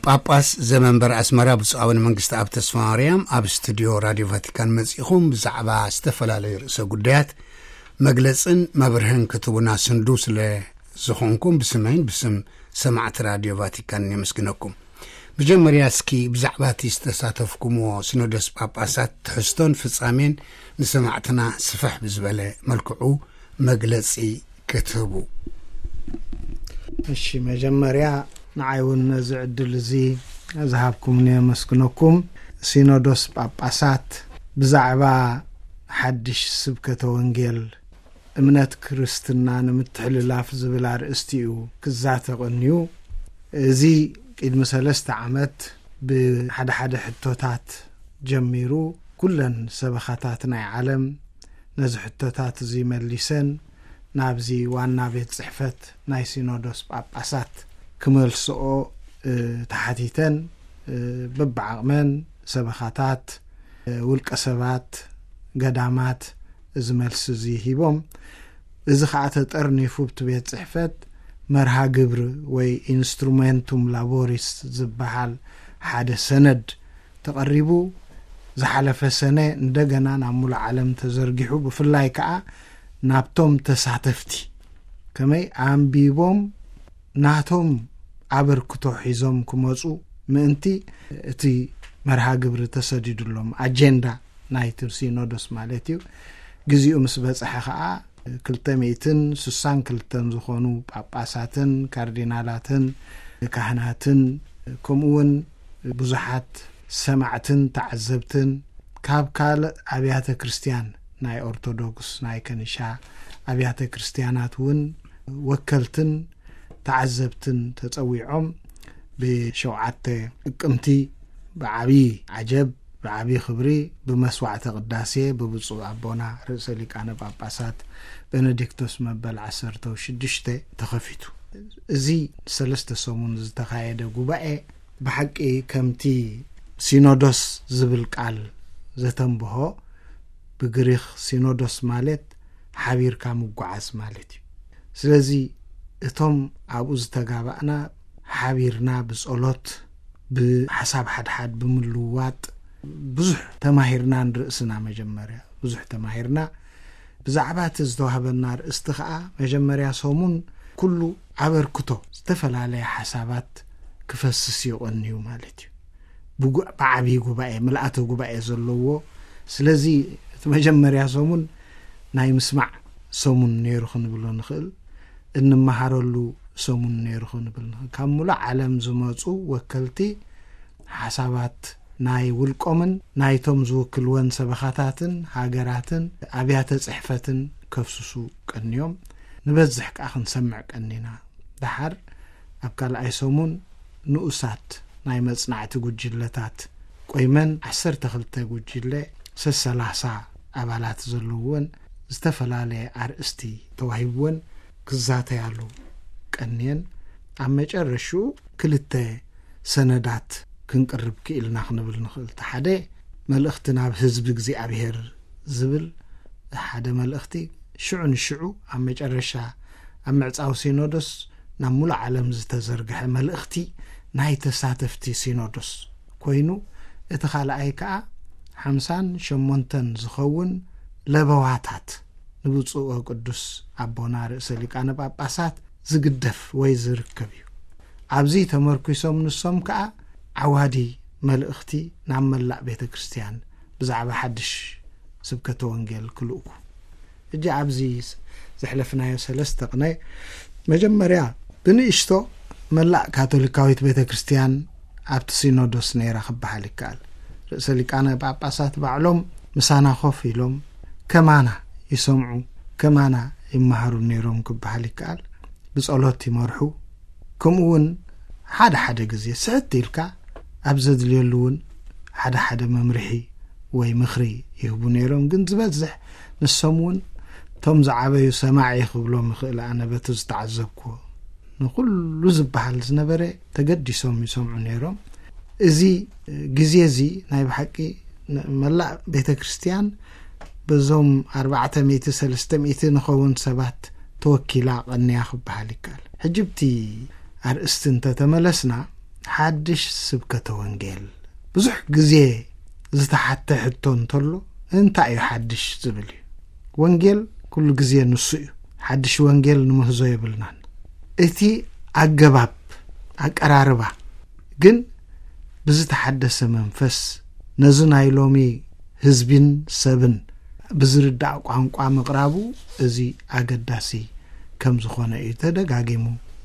ጳጳስ ዘመንበር ኣስመራ ብፁዕ ኣቡነ መንግስቲ ኣብ ተስፋ ማርያም ኣብ ስቱድዮ ራድዮ ቫቲካን መጺኹም ብዛዕባ ዝተፈላለዩ ርእሰ ጉዳያት መግለጽን መብርህን ክትቡና ስንዱ ስለ ዝኾንኩም ብስመይን ብስም ሰማዕቲ ራድዮ ቫቲካን የመስግነኩም። መጀመርያ እስኪ ብዛዕባ እቲ ዝተሳተፍኩምዎ ሲኖዶስ ጳጳሳት ትሕዝቶን ፍጻሜን ንሰማዕትና ስፍሕ ብዝበለ መልክዑ መግለጺ ክትህቡ። እሺ፣ መጀመርያ ንዓይ እውን ነዚ ዕድል እዚ ዝሃብኩምኒ የመስግነኩም። ሲኖዶስ ጳጳሳት ብዛዕባ ሓድሽ ስብከተ ወንጌል እምነት ክርስትና ንምትሕልላፍ ዝብል ኣርእስቲ እዩ ክዛተ ቀንዩ። እዚ ቅድሚ ሰለስተ ዓመት ብሓደ ሓደ ሕቶታት ጀሚሩ ኩለን ሰበኻታት ናይ ዓለም ነዚ ሕቶታት እዚ መሊሰን ናብዚ ዋና ቤት ጽሕፈት ናይ ሲኖዶስ ጳጳሳት ክመልስኦ፣ እ፣ ተሓቲተን፣ እ፣ በብዓቕመን ሰበኻታት፣ እ፣ ውልቀ ሰባት፣ ገዳማት እዚ መልሲ እዚ ሂቦም። እዚ ኸኣ ተጠርኒፉ ብቲ ቤት ጽሕፈት መርሃ ግብሪ ወይ ኢንስትሩሜንቱም ላቦሪስ ዝበሃል ሓደ ሰነድ ተቐሪቡ። ዝሓለፈ ሰነ እንደገና ናብ ሙሉእ ዓለም ተዘርጊሑ፣ ብፍላይ ከኣ ናብቶም ተሳተፍቲ ከመይ ኣንቢቦም ናቶም ኣበርክቶ ሒዞም ክመጹ ምእንቲ እቲ መርሃ ግብሪ ተሰዲዱሎም፣ ኣጀንዳ ናይቲ ሲኖዶስ ማለት እዩ። ግዜኡ ምስ በጽሐ ከኣ ክልተ ሚእትን ስሳን ክልተን ዝኾኑ ጳጳሳትን ካርዲናላትን ካህናትን ከምኡ እውን ብዙሓት ሰማዕትን ተዓዘብትን ካብ ካልእ ኣብያተ ክርስትያን ናይ ኦርቶዶክስ ናይ ከኒሻ ኣብያተ ክርስትያናት እውን ወከልትን ተዓዘብትን ተጸዊዖም ብሸውዓተ ጥቅምቲ ብዓቢ ዓጀብ ብዓቢ ክብሪ ብመስዋዕተ ቅዳሴ ብብፁዕ ኣቦና ርእሰ ሊቃነ ጳጳሳት ቤኔዲክቶስ መበል ዓሰርተ ሽዱሽተ ተኸፊቱ። እዚ ሰለስተ ሰሙን ዝተኻየደ ጉባኤ ብሓቂ ከምቲ ሲኖዶስ ዝብል ቃል ዘተንብሆ፣ ብግሪኽ ሲኖዶስ ማለት ሓቢርካ ምጓዓዝ ማለት እዩ። ስለዚ እቶም ኣብኡ ዝተጋባእና ሓቢርና ብጸሎት፣ ብሓሳብ ሓድሓድ ብምልውዋጥ ብዙሕ ተማሂርና ንርእስና። መጀመርያ ብዙሕ ተማሂርና። ብዛዕባ እቲ ዝተዋህበና ርእስቲ ኸኣ መጀመርያ ሰሙን ኩሉ ኣበርክቶ ዝተፈላለየ ሓሳባት ክፈስስ ይቐንዩ ማለት እዩ። ብጉ-፣ ብዓብዪ ጉባኤ፣ ምልኣተ ጉባኤ ዘለዎ። ስለዚ እቲ መጀመርያ ሰሙን ናይ ምስማዕ ሰሙን ነይሩ ክንብሎ ንኽእል፣ እንመሃረሉ ሰሙን ነይሩ ክንብል ንኽእል። ካብ ሙሉእ ዓለም ዝመጹ ወከልቲ ሓሳባት ናይ ውልቆምን ናይቶም ዝውክልወን ሰበኻታትን ሃገራትን ኣብያተ ጽሕፈትን ከፍስሱ ቀንዮም። ንበዝሕ ከኣ ክንሰምዕ ቀኒና። ደሓር ኣብ ካልኣይ ሰሙን ንኡሳት ናይ መጽናዕቲ ጉጅለታት ቆይመን ዓሰርተ ክልተ ጉጅለ ሰሰላሳ ኣባላት ዘለውወን ዝተፈላለየ ኣርእስቲ ተዋሂብወን ክዛተያሉ ቀንየን። ኣብ መጨረሽኡ ክልተ ሰነዳት ክንቅርብ ክኢልና ክንብል ንኽእል። እቲ ሓደ መልእኽቲ ናብ ህዝቢ እግዚኣብሔር ዝብል ሓደ መልእኽቲ፣ ሽዑ ንሽዑ ኣብ መጨረሻ ኣብ ምዕጻው ሲኖዶስ ናብ ሙሉእ ዓለም ዝተዘርግሐ መልእኽቲ ናይ ተሳተፍቲ ሲኖዶስ ኮይኑ፣ እቲ ካልኣይ ከኣ ሓምሳን ሸሞንተን ዝኸውን ለበዋታት ንብፁዕ ወቅዱስ ኣቦና ርእሰ ሊቃነ ጳጳሳት ዝግደፍ ወይ ዝርከብ እዩ። ኣብዚ ተመርኲሶም ንሶም ከኣ ዓዋዲ መልእኽቲ ናብ መላእ ቤተ ክርስቲያን ብዛዕባ ሓድሽ ስብከተ ወንጌል ክልእኩ። ሕጂ ኣብዚ ዘሕለፍናዮ ሰለስተ ቅነ፣ መጀመርያ ብንእሽቶ መላእ ካቶሊካዊት ቤተ ክርስቲያን ኣብቲ ሲኖዶስ ነይራ ክበሃል ይከኣል። ርእሰ ሊቃነ ጳጳሳት ባዕሎም ምሳና ኮፍ ኢሎም ከማና ይሰምዑ፣ ከማና ይመሃሩ ነይሮም ክበሃል ይከኣል። ብጸሎት ይመርሑ። ከምኡ እውን ሓደ ሓደ ግዜ ስሕት ኢልካ ኣብ ዘድልየሉ እውን ሓደ ሓደ መምርሒ ወይ ምኽሪ ይህቡ ነይሮም። ግን ዝበዝሕ ንሶም እውን እቶም ዝዓበዩ ሰማዒ ክብሎም ይኽእል። ኣነ በቲ ዝተዓዘብኩዎ ንኹሉ ዝበሃል ዝነበረ ተገዲሶም ይሰምዑ ነይሮም። እዚ ግዜ እዚ ናይ ብሓቂ ን-፣ መላእ ቤተ ክርስቲያን በዞም ኣርባዕተ ሚእቲ ሰለስተ ሚእቲ ንኸውን ሰባት ተወኪላ ቀንያ ክበሃል ይከኣል። ሕጂ ብቲ ኣርእስቲ እንተተመለስና፣ ሓድሽ ስብከተ ወንጌል ብዙሕ ግዜ ዝተሓተ ሕቶ እንተሎ፣ እንታይ እዩ ሓድሽ ዝብል እዩ። ወንጌል ኩሉ ግዜ ንሱ እዩ። ሓድሽ ወንጌል ንምህዞ የብልናን። እቲ ኣገባብ፣ ኣቀራርባ ግን ብዝተሓደሰ መንፈስ ነዚ ናይ ሎሚ ህዝቢን ሰብን ብዝርዳእ ቋንቋ ምቕራቡ፣ እዚ ኣገዳሲ ከም ዝኾነ እዩ ተደጋጊሙ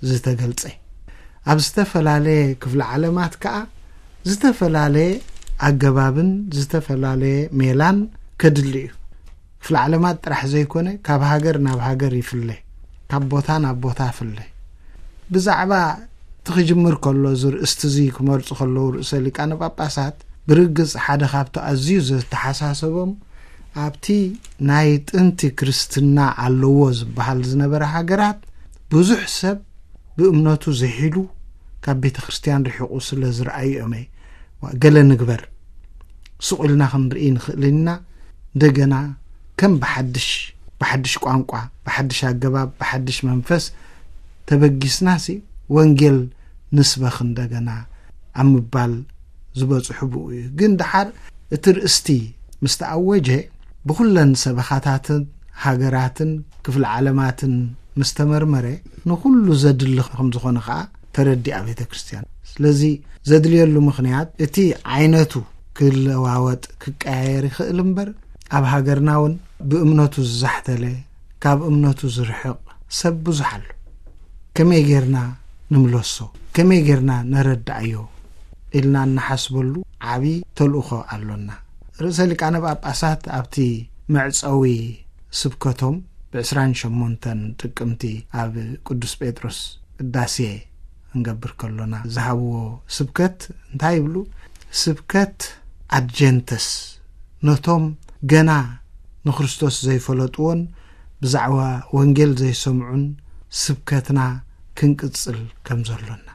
ዝተገልጸ። ኣብ ዝተፈላለየ ክፍለ ዓለማት ከኣ ዝተፈላለየ ኣገባብን ዝተፈላለየ ሜላን ከድሊ እዩ። ክፍለ ዓለማት ጥራሕ ዘይኮነ፣ ካብ ሃገር ናብ ሃገር ይፍለ፣ ካብ ቦታ ናብ ቦታ ይፍለ። ብዛዕባ እቲ ክጅምር ከሎ፣ እዚ ርእስቲ እዚ ክመርጹ ከለዉ፣ ርእሰ ሊቃነ ጳጳሳት ብርግጽ ሓደ ካብቲ ኣዝዩ ዘተሓሳሰቦም፣ ኣብቲ ናይ ጥንቲ ክርስትና ኣለዎ ዝበሃል ዝነበረ ሃገራት ብዙሕ ሰብ ብእምነቱ ዝሒሉ ካብ ቤተ ክርስቲያን ርሒቑ ስለ ዝረኣዩ እዮም። ዋ፣ ገለ ንግበር፣ ስቕ ኢልና ክንርኢ ንኽእል ኢና። እንደገና ከም ብሓድሽ፣ ብሓድሽ ቋንቋ፣ ብሓድሽ ኣገባብ፣ ብሓድሽ መንፈስ ተበጊስናሲ ወንጌል ንስበኽ እንደገና ኣብ ምባል ዝበጽሑ ብኡ እዩ። ግን ደሓር እቲ ርእስቲ ምስ ተኣወጀ፣ ብኹለን ሰበኻታትን ሃገራትን ክፍለ ዓለማትን ምስ ተመርመረ፣ ንኹሉ ዘድሊ ከም ዝኾነ ኸኣ ተረዲኣ ቤተ ክርስቲያን። ስለዚ ዘድልየሉ ምኽንያት፣ እቲ ዓይነቱ ክለዋወጥ፣ ክቀያየር ይኽእል እምበር፣ ኣብ ሃገርና እውን ብእምነቱ ዝዛሕተለ፣ ካብ እምነቱ ዝርሕቕ ሰብ ብዙሕ ኣሎ። ከመይ ጌርና ንምለሶ፣ ከመይ ጌርና ነረድኣዮ ኢልና እንሓስበሉ ዓቢ ተልእኾ ኣሎና። ርእሰ ሊቃነ ጳጳሳት ኣብቲ መዕጸዊ ስብከቶም ብ ዕስራን ሸሞንተን ጥቅምቲ ኣብ ቅዱስ ጴጥሮስ ቅዳሴ ክንገብር ከሎና ዝሃብዎ ስብከት እንታይ ይብሉ? ስብከት ኣድጀንተስ፣ ነቶም ገና ንክርስቶስ ዘይፈለጥዎን ብዛዕባ ወንጌል ዘይሰምዑን ስብከትና ክንቅጽል ከም ዘሎና።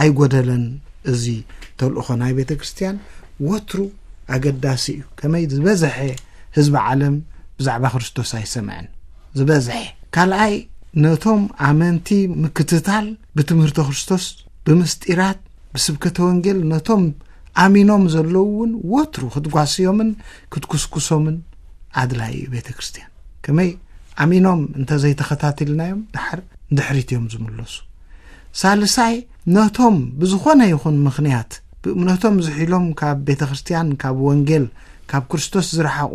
ኣይጎደለን። እዚ ተልእኾ ናይ ቤተ ክርስቲያን ወትሩ ኣገዳሲ እዩ። ከመይ ዝበዝሐ ህዝቢ ዓለም ብዛዕባ ክርስቶስ ኣይሰምዐን? ዝበዝሐ። ካልኣይ፣ ነቶም ኣመንቲ ምክትታል፣ ብትምህርቲ ክርስቶስ፣ ብምስጢራት፣ ብስብከተ ወንጌል ነቶም ኣሚኖም ዘለዉ እውን ወትሩ ክትጓስዮምን ክትኩስኩሶምን ኣድላይ እዩ። ቤተ ክርስቲያን ከመይ ኣሚኖም እንተዘይተኸታቲልናዮም፣ ደሓር ንድሕሪት እዮም ዝምለሱ። ሳልሳይ፣ ነቶም ብዝኾነ ይኹን ምኽንያት ብእምነቶም ዝሒሎም ካብ ቤተ ክርስቲያን፣ ካብ ወንጌል፣ ካብ ክርስቶስ ዝረሓቑ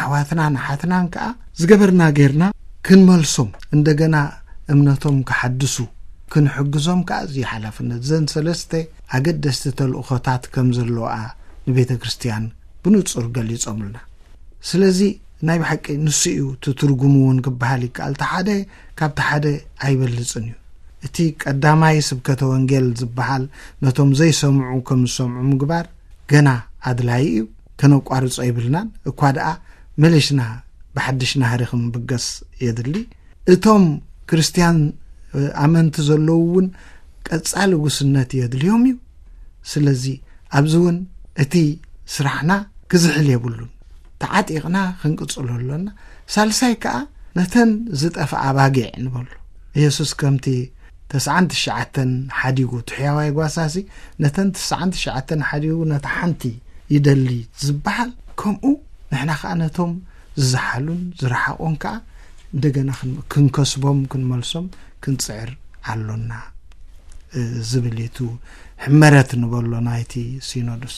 ኣሕዋትናን ኣሓትናን ከኣ ዝገበርና ጌርና ክንመልሶም፣ እንደገና እምነቶም ክሓድሱ ክንሕግዞም ከኣ እዚ ሓላፍነት። እዘን ሰለስተ ኣገደስቲ ተልእኾታት ከም ዘለዋ ንቤተ ክርስቲያን ብንጹር ገሊጾምልና። ስለዚ ናይ ብሓቂ ንሱ እዩ እቲ ትርጉሙ እውን ክበሃል ይከኣል። እቲ ሓደ ካብቲ ሓደ ኣይበልጽን እዩ። እቲ ቀዳማይ ስብከተ ወንጌል ዝበሃል ነቶም ዘይሰምዑ ከም ዝሰምዑ ምግባር ገና ኣድላዪ እዩ። ከነቋርጾ የብልናን። እኳ ደኣ መሊስና ብሓድሽ ናህሪ ክንብገስ የድሊ። እቶም ክርስትያን፣ እ፣ ኣመንቲ ዘለዉ እውን ቀጻሊ ውስነት የድልዮም እዩ። ስለዚ ኣብዚ እውን እቲ ስራሕና ክዝሕል የብሉን። ተዓጢቕና ክንቅጽሎ ኣሎና። ሳልሳይ ከኣ ነተን ዝጠፍኣ ኣባጊዕ ንበሎ። የሱስ ከምቲ ተስዓን ትሽዓተን ሓዲጉ እቲ ሕያዋይ ጓሳሲ ነተን ተስዓን ትሽዓተን ሓዲጉ ነታ ሓንቲ ይደሊ ዝበሃል፣ ከምኡ ንሕና ከኣ ነቶም ዝዘሓሉን ዝረሓቑን ከኣ እንደገና ክን-፣ ክንከስቦም፣ ክንመልሶም ክንጽዕር ኣሎና፣ እ፣ ዝብል እዩ እቲ ሕመረት ንበሎ ናይቲ ሲኖዶስ።